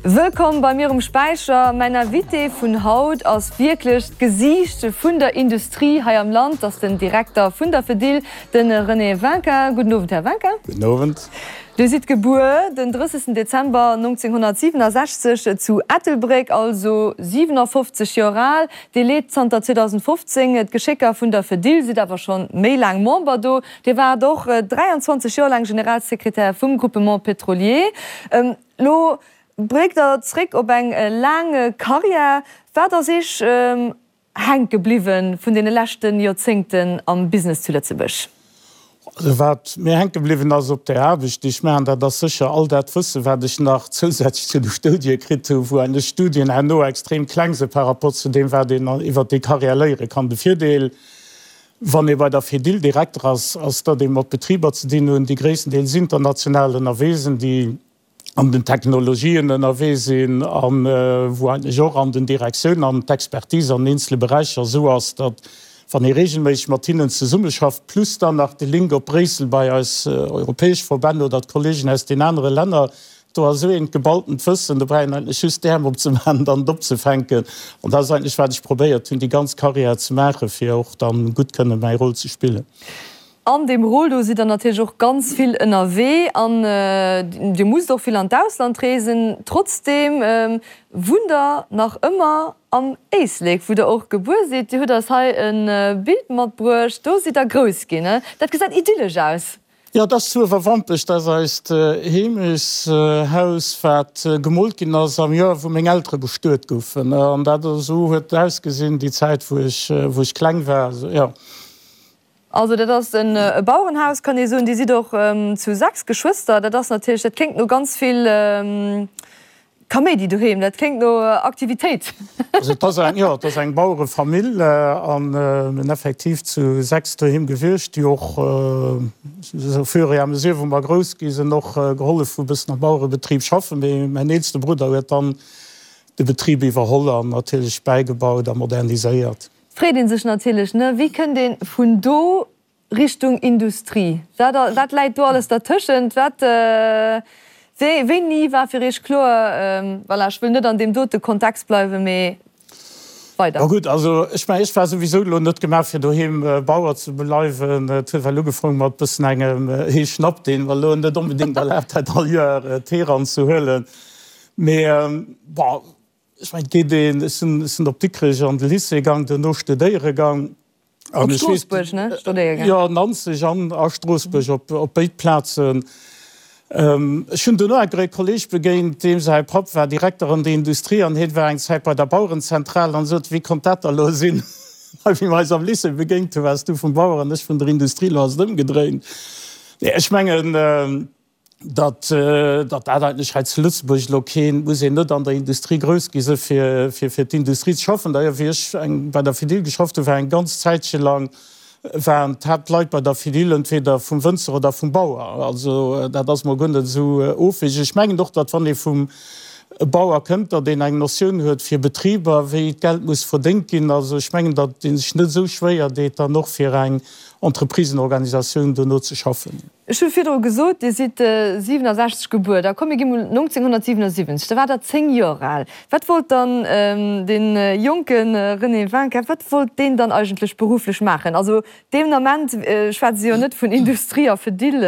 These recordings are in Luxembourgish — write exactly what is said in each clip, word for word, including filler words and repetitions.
Wëllkomm bei mir um Späicher. Mäin Invité vun haut ass wierklech d'Gesiicht vun der Industrie hei am Land. Ass den Direkter vun der Fedil, den René Winkin. Gudden Owend, Här Winkin. Gudden Owend. Dir sidd gebuer den drëssegsten Dezember nonzénghonnertsiwenasechzeg zu Ettelbréck, also siwenafofzeg Joer al. Dir leet zanter zweedausendfofzéng d'Geschécker vun der Fedil, sidd awer scho méi laang Member do. Dir waart och dräianzwanzeg Joer laang Generalsekretär vum Groupement Pétrolier. Lo bléckt Der zréck op eng laang Karriär. Wat ass Iech hänke bliwwe vun deene leschte Joerzéngten am Business zu Lëtzebuerg? Also wat mir hänke bliwwen ass op där Aarbecht, déi ech maachen, dat ass sécher all dat Wëssen, wat ech nach zousätzlech zu de Studie kritt hu, wou eigentlech d'Studien herno extrem kleng si par rapport zu deem, wat een iwwert déi Karriär léiere kann. De Virdeel, wann ee bei der Fedil Direkter ass, ass, datt ee mat Betriber ze dinn hunn, déi gréisstendeels international ënnerwee sinn, déi an den Technologien ënnerwee sinn a wou eigentlech och an den Direktiounen an d'Expertise an eenzele Beräicher esou ass, datt, wann ee regelméisseg mat hinnen zesummeschafft, plus dann nach de Link op Bréissel bei eis europäesch Verbänn oder d'Kollegen aus den anere Länner, do ass esou eent geballtent Wëssen, do brauch een eigentlech just d'Äerm opzemaachen an dann et opzefänken. An dat ass eigentlech, wat ech probéiert hunn, déi ganz Karriär ze maachen, fir och dann gutt kënne mäi Rôle ze spillen. An deem Rôle do sidd Der natierlech och ganz vill ënnerwee an Dir musst och vill an d'Ausland reesen. Trotzdeem wunnt Der nach ëmmer am Éislek, wou Der och gebuer sidd. Dir hutt eis hei e Bild matbruecht, do sidd Der grouss ginn. Dat gesäit idyllesch aus. Jo, dat ass zu Uewerwampech. Dat ass eist Heemechtshaus, wat gemoolt ginn ass am Joer, wou meng Eltere bestuet goufen. An dat esou huet et ausgesinn déi Zäit, wou ech, wou ech kleng war. Jo. Also dat ass e Bauerenhaus, kann ee soen. Dir sidd och zu sechs Geschwëster. Dat ass natierlech, dat kléngt no ganz vill Kaméidi doheem, dat kléngt no Aktivitéit. Also et ass eng, jo, et ass eng Bauerefamill a mir sinn effektiv zu sechs doheem gewiescht, déi och au fur et à mesure, wou mer grouss gi sinn, och gehollef hu bëssen am Bauerebetrib schaffen. Mee mäin eelste Brudder huet dann de Betrib iwwerholl an natierlech bäigebaut a moderniséiert. Freet een sech natierlech, ne, wéi kënnt een vun do Richtung Industrie? Wat wat läit do alles dertëschent? Wat wéi wéini war fir Iech kloer, voilà, ech wëll net an deem dote Kontext bleiwen, mee weider? Ma gutt, also ech mengen, ech war souwisou elo net gemaach fir doheem Bauer ze bleiwen. Et huet well ugefaangen mat bëssen engem Heeschnapp, deen mer elo net onbedéngt erlaabt hätt all Joer d'Hee ranzehuelen. Mee bon, Ech mengen, et geet een, ech sinn, ech sinn op Dikrech an de Lycée gaang, duerno studéiere gaang. Op Stroossbuerg, ne? Studéiere gaang. Jo, Nanzeg an a Stroossbuerg, op, op béid Plazen. Ech hunn duerno enker e Kolleeg begéint, deem säi Papp war Direkter an der Industrie an hien war eng Zäit bei der Bauerenzentral an sot, Wéi konnt dat da lo sinn? Hei, wéi mer eis am Lycée begéint hunn, waars du vum Bauer an ech vun der Industrie, lo ass et ëmgedréint. Nee, ech mengen, datt datt dat eigentlech hei zu Lëtzebuerg elo keen, muss een net an der Industrie grouss gi si fir fir fir d'Industrie ze schaffen. D'ailleurs, wéi ech eng bei der Fedil geschafft hunn, war eng ganz Zäitche lang waren d'Haaptleit bei der Fedil entweder vum Wënzer oder vum Bauer. Also dat ass mol guer net esou ofwegeg. Ech mengen och, datt wann ee vum Bauer kënnt, datt een eng Notioun huet fir Betriber, wéi d'Geld muss verdéngt ginn. Also ech mengen, datt ee sech net esou schwéier deet, dann och fir eng Entreprisenorganisatioun dono ze schaffen. Ech hu virdru gesot, Dir sidd siwenasechzeg gebuer. Da komm mir gi mol nonzénghonnertsiwenasiwwenzeg, da waart Der zéng Joer al. Wat wollt dann dee jonke René Winkin, wat wollt deen dann eigentlech berufflech maachen? Also deen Ament schwätze se jo net vun Industrie a Fedil.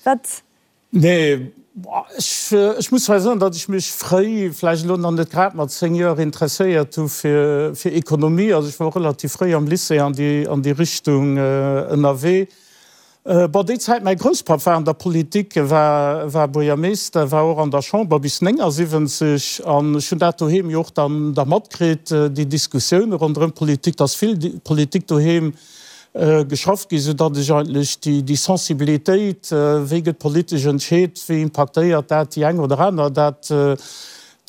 Wat? Nee, ech muss hei soen, datt ech mech fréi, vläicht elo nach net grad mat zéng Joer, interesséiert hu fir Ekonomie. Also ech war och relativ fréi am Lycée an déi an déi Richtung ënnerwee. Bon, déi Zäit, mäi Grousspapp war an der Politik, e war war Buergermeeschter, war och an der Chamber bis néngasiwwenzeg an ech hunn dat doheem jo och dann da matkritt, déi Diskussioune ronderëm d'Politik, datt vill Politik doheem geschafft ginn, sou datt ech eigentlech déi Sensibilitéit, wéi gëtt politesch entscheet, wéi impaktéiert dat déi eng oder aner, dat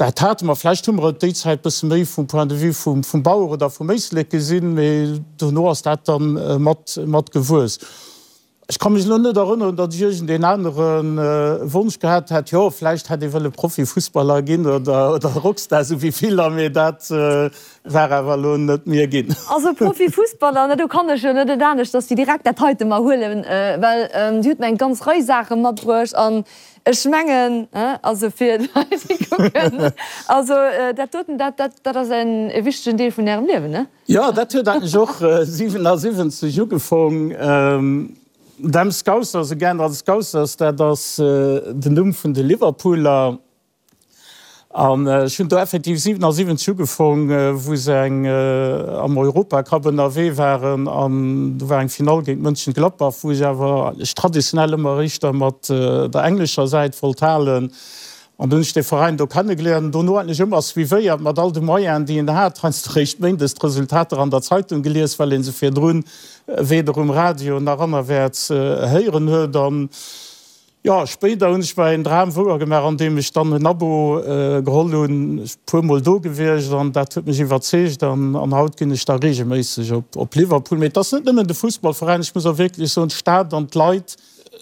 dat hate mer. Vläicht hu mer et déi Zäit bësse méi vum Point de vue vum vum Bauer oder vum Éislek gesinn, mee dono ass dat da mat mat gewuess. Ech ka mech elo net erënneren, datt ech iergendeen anere Wonsch gehat hätt. Jo, vläicht hätt ee wëlle Profifussballer ginn oder Rockstar, esou wéi viller, mee dat war awer elo net mir ginn. Also Profifussballer, na do kann ech jo net et anescht, datt déi direkt dat heite mer huelen, well Dir hutt mer eng ganz Rei Saache matbruecht an ech mengen, also fir d'Leit déi kucken, also dat doten, dat dat ass en wichtegen Deel vun Ärem Liewen, ne? Jo, dat huet eigentlech och siwenasiwwenzeg ugefong. Dem Scousers, again, also Scousers, dat ass den Numm vun de Liverpooler. An ech hunn do effektiv siwenasiwwenzeg ugefong, wou se eng am Europacup ënnerwee waren an do war eng Finall géint Mönchengladbach, wou ech awer ech traditionell ëmmer éischter mat der englescher Säit wollt halen. An dunn hunn ech dee Veräin do kennegeléiert an dono eigentlech ëmmer suivéiert mat all de Moyenen, déi een hat, heiansdo réischt méindes d'Resultater an der Zeitung gelies, well ee se virdrun weder um Radio nach anerwäerts héieren huet. An jo, spéider hunn ech mer een Dram wouer gemaach, andeem ech dann en Abo geholl hunn. Ech puer mol do gewiescht an dat huet mech iwwerzeegt an an haut ginn ech da reegelméisseg op op Liverpool. Mee et ass net nëmmen de Fussballveräin, ech muss och wierklech soen, d'Stad an d'Leit.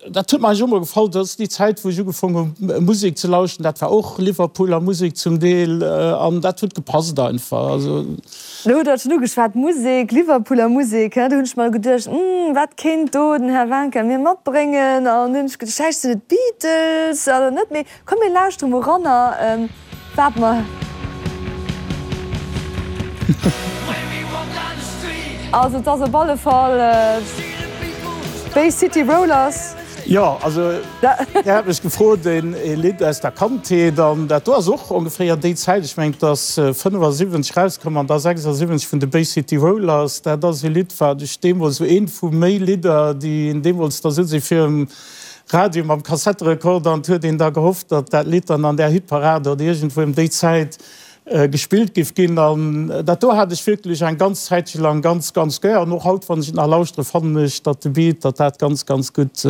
Dat huet mer eigentlech och mol gefall. Dat ass déi Zäit, wou ech ugefong hu Musek ze lauschten. Dat war och Liverpooler Musek zum Deel an dat huet gepasst einfach. Also. Lo hutt Der et schonn ugeschwat, Musek, Liverpooler Musek, do hunn ech mer geduecht, Hm, wat kéint do den Här Wanka mir matbréngen? An hunn ech geduecht, vläicht sinn et d'Beatles oder net. Mee komm mir lauschtere mol eranner, wat mer. Also et ass op alle Fall Bay City Rollers. Jo, also Dir hat mech gefrot een Lidd aus der Kandheet an dat do ass och ongeféier déi Zäit, ech mengen et ass fënnefasiwwenzeg rauskomm an da sechsasiwwenzeg vun de Bay City Rollers. Dat ass e Lidd wat ech deemools, esou eent vu méi Lidder déi een deemools da souz ee virum Radio mam Kassetterekorder an et huet een da gehofft, datt dat Lidd dann an där Hitparade oder iergendwou ëm déi Zäit gespillt giff ginn. An dat do hat ech wierklech eng ganz Zäitche lang ganz, ganz gär. An och haut, wann ech et nach lauschtere, fannen ech, datt de Beat, datt dat ganz, ganz gutt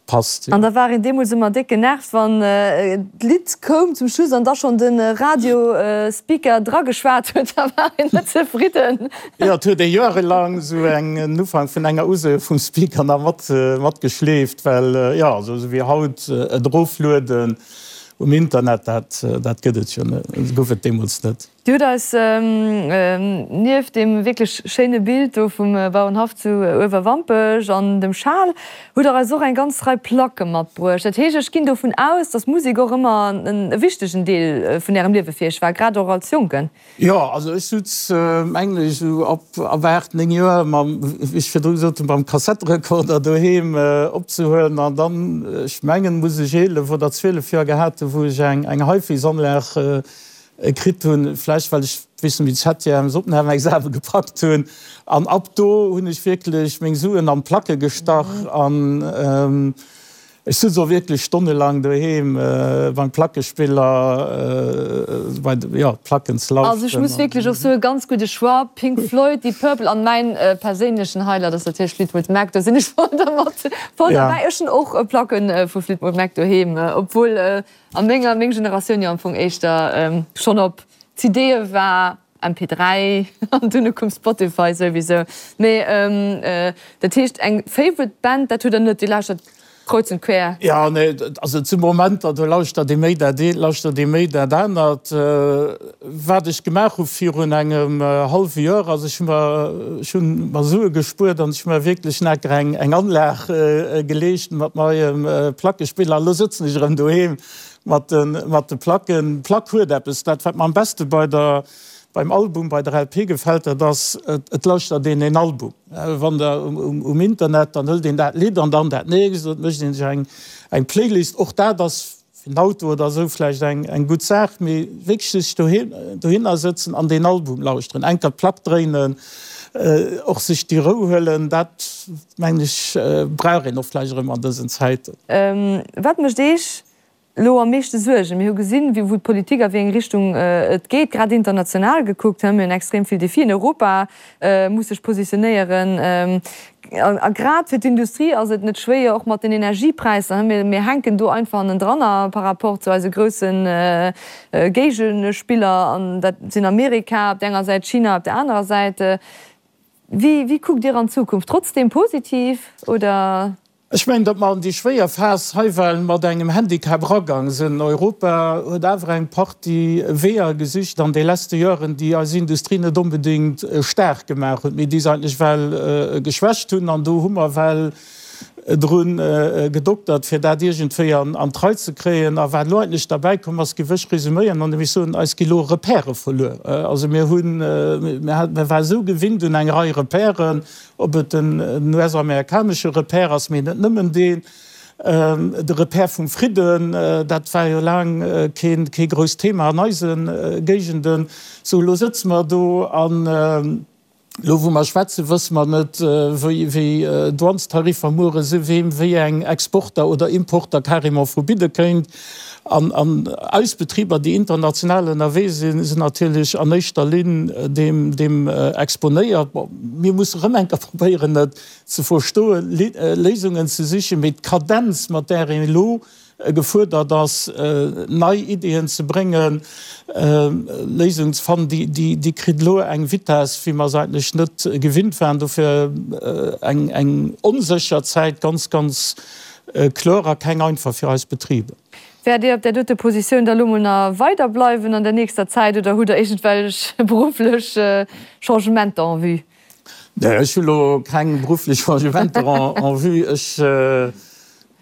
passt. An da war een deemools ëmmer déck genervt, wann d'Lidd koum zum Schluss an da schonn de Radiospeaker drageschwat huet, da war een net zefridden. Jo, et huet ee joerelang esou en Ufank vun enger Usoe vum Speaker nach mat matgeschleeft, well, jo, esou wéi haut et eroflueden um Internet, dat, dat gëtt et jo net, gouf et deemools net. Dir hutt eis nieft deem wierklech schéine Bild do vum Bauerenhaff zu Uewerwampech an dem Schal, hutt Der eis och eng ganz Rei Placke matbruecht. Dat heescht, ech ginn dovun aus, dass Musek och ëmmer e wichtegen Deel vun Ärem Liewe fir Iech war, grad och als Jonken. Jo, also ech sutz, mengen ech, esou ab ab aacht, néng Joer mam, wéi ech virdru gesot hunn, mam Kassetterekorder doheem opzehuelen an dann, ech mengen, muss ech eelef oder zwielef Joer gehat hunn, wou ech eng eng HiFis-Anlag kritt hunn, vläicht well ech, weess net méi, d'Septièmes Opnahmeexame gepackt hunn an ab do hunn ech wierklech meng Suen an d'Placke gestach an. Ech sutz och wierklech stonnelang doheem beim Plackespiller bei de, jo, Placken ze Also ech muss lauschteren. wierklech och soen, ganz gudde Choix, Pink Floyd, Deep Purple an mäin perséinlechen Highlight ass natierlech Fleetwood Mac, do sinn ech voll dermat, voll derbäi. Ech hunn och Placke vu Fleetwood Mac doheem, obwuel a menger, meng Generatioun jo am Fong éischter schonn op C D'e war. M P dräi an dunne koum Spotify souwisou. Mee dat heescht eng Favorite Band, dat hutt der net, Dir lauschtert kreuz und quer? Jo, nee, also et si Momenter, do lauschtert ee méi dat eent, lauschtert ee méi dat anert. Wat ech gemaach hu virun engem hallwe Joer ass, ech hu mer, ech hu mer Sue gespuert an ech hu mer wierklech naker eng eng Anlag geleescht mat neiem Plackespiller. Elo sëtzen ech erëm doheem mat de mat de Placken. D'Plack huet eppes, dat wat mer am beste bei der Beim Album, bei der L P gefält dat ass, et lauschtert een een Album. Wann der um Internet, dann hëlt een dat Lidd an dann dat nächst, et mécht een sech eng eng Playlist. Och dat ass fir den Auto oder esou vläicht eng eng gutt Saach, mee wierklech sech doheem dohinner sëtzen an deen Album lauschteren, eng Kéier d'Plack dréinen, och sech déi Rou huelen, dat mengen ech brauch een och vläicht erëm an dësen Zäiten. Wat mécht Eech elo am meeschte Suergen? Mir hu gesinn, wou d'Politik a wéi eng Richtung et geet, grad international gekuckt. Mir hunn extrem vill Defien. Europa muss sech positionéieren. A grad fir d'Industrie ass et net schwéier, och mat den Energiepräisser. Mir hänken do einfach hannendranner par rapport zu eise grousse Géigespiller, an dat sinn Amerika op där enger Säit, China op där anerer Säit. Wéi kuckt Dir an d'Zukunft? Trotzdeem positiv, oder? Ech mengen, datt mer an déi schwéier Phas hei well mat engem Handicap eragaang sinn. Europa huet awer eng Partie Weeër gesicht an de leschte Joren, déi eis Industrie net onbedéngt staark gemaach hunn, mee déi se eigentlech well geschwächt hunn. An do hu mer well dru gedoktert, fir dat iergendwéi an d'Rei ze kréien. A wat elo eigentlech derbäikomm ass, géif ech resüméieren, andeem ech soen, Eis gi elo Repèrë verluer. Also mir hunn, mir ware esou gewinnt un eng Rei Repèren, Ob et den US-amerikanesche Repère ass, mee net nëmmen deen, de Repère vum Fridden, dat war jo laang kee grousst Thema an eise Géigenden. Sou, elo sëtze mer do an elo wou mer schwätzen, wësse mer net, wéi Douanestariffer muere si, weem wéi eng Exporter oder Importer carrément verbidde kéint. An eis Betriber, déi international ënnerwee sinn, sinn natierlech an éischter Linn deem exponéiert. Bon, mir musse rëm eng Kéier probéieren, et ze verstoen, Léisungen ze sichen, mee d'Kadenz, mat där een elo gefuerdert ass, nei Ideeën ze bréngen, Léisungen ze fannen, déi kritt elo eng Vitess, wéi mer se eigentlech net gewinnt waren. Dofir eng onsécher Zäit, ganz, ganz kloer, a keng einfach fir eis Betriber. Wäert Dir op där dote Positioun da lo mol nach weider bleiwen an der nächster Zäit oder hutt Der iergendwelch berufflech Changementer en vue? Nee, ech hu lo keng berufflech Changementer en vue. Ech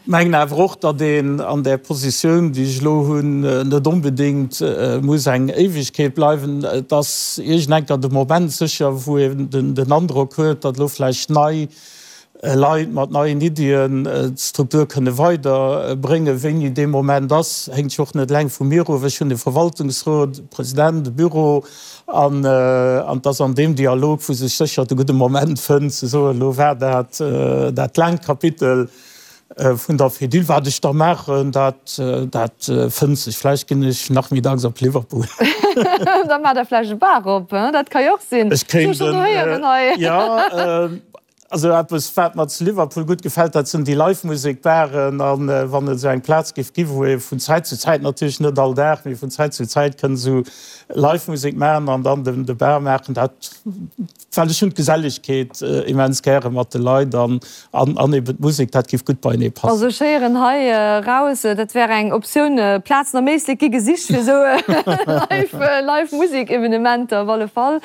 mengen awer och, datt een an där Positioun, déi ech elo hunn, net onbedéngt muss eng Éiwegkeet bleiwen. Et ass iergendenker de Moment sécher, wou een den Androck huet, datt elo vläicht nei Leit mat neien Iddien d'Struktur kënne weider bréngen. Wéini dee Moment ass, héngt jo och net eleng vu mir of. Ech hunn e Verwaltungsrot, e President, e Büro an et ass an deem Dialog, wou sech sécher de gudde Moment fënnt ze soen, elo war dat dat laangt Kapitel vun der Fedil. Wat ech da maachen, dat dat fënnt sech. Vläicht ginn ech nachmittags op Liverpool. Da maacht Der vläicht e Bar op, dat ka jo och sinn. Ech kéint en, jo. Also eppes wat mer zu Liverpool gutt gefält, dat sinn déi Live-Musek-Baren. A wann et esou eng Plaz géif gi wou ee vun Zäit zu Zäit, natierlech net all Dag, mee vun Zäit zu Zäit kënnt esou Live-Musek maachen an dann de Bar maachen, dat, well ech hunn d'Gesellegkeet immens gäre mat de Leit an an eben d'Musek, dat géif gutt beienee passen. Also ech héieren hei eraus, dat wär eng Optioun. Plazen am Éislek gi gesicht fir esou Live-Musek-Evenementer op alle Fall.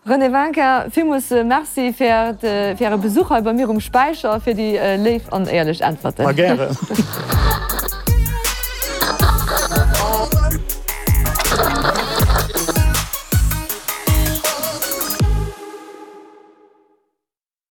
René Winkin, villmools Merci fir Äre Besuch hei bei mir um Späicher a fir déi léif an éierlech Äntwerten. Ma gären.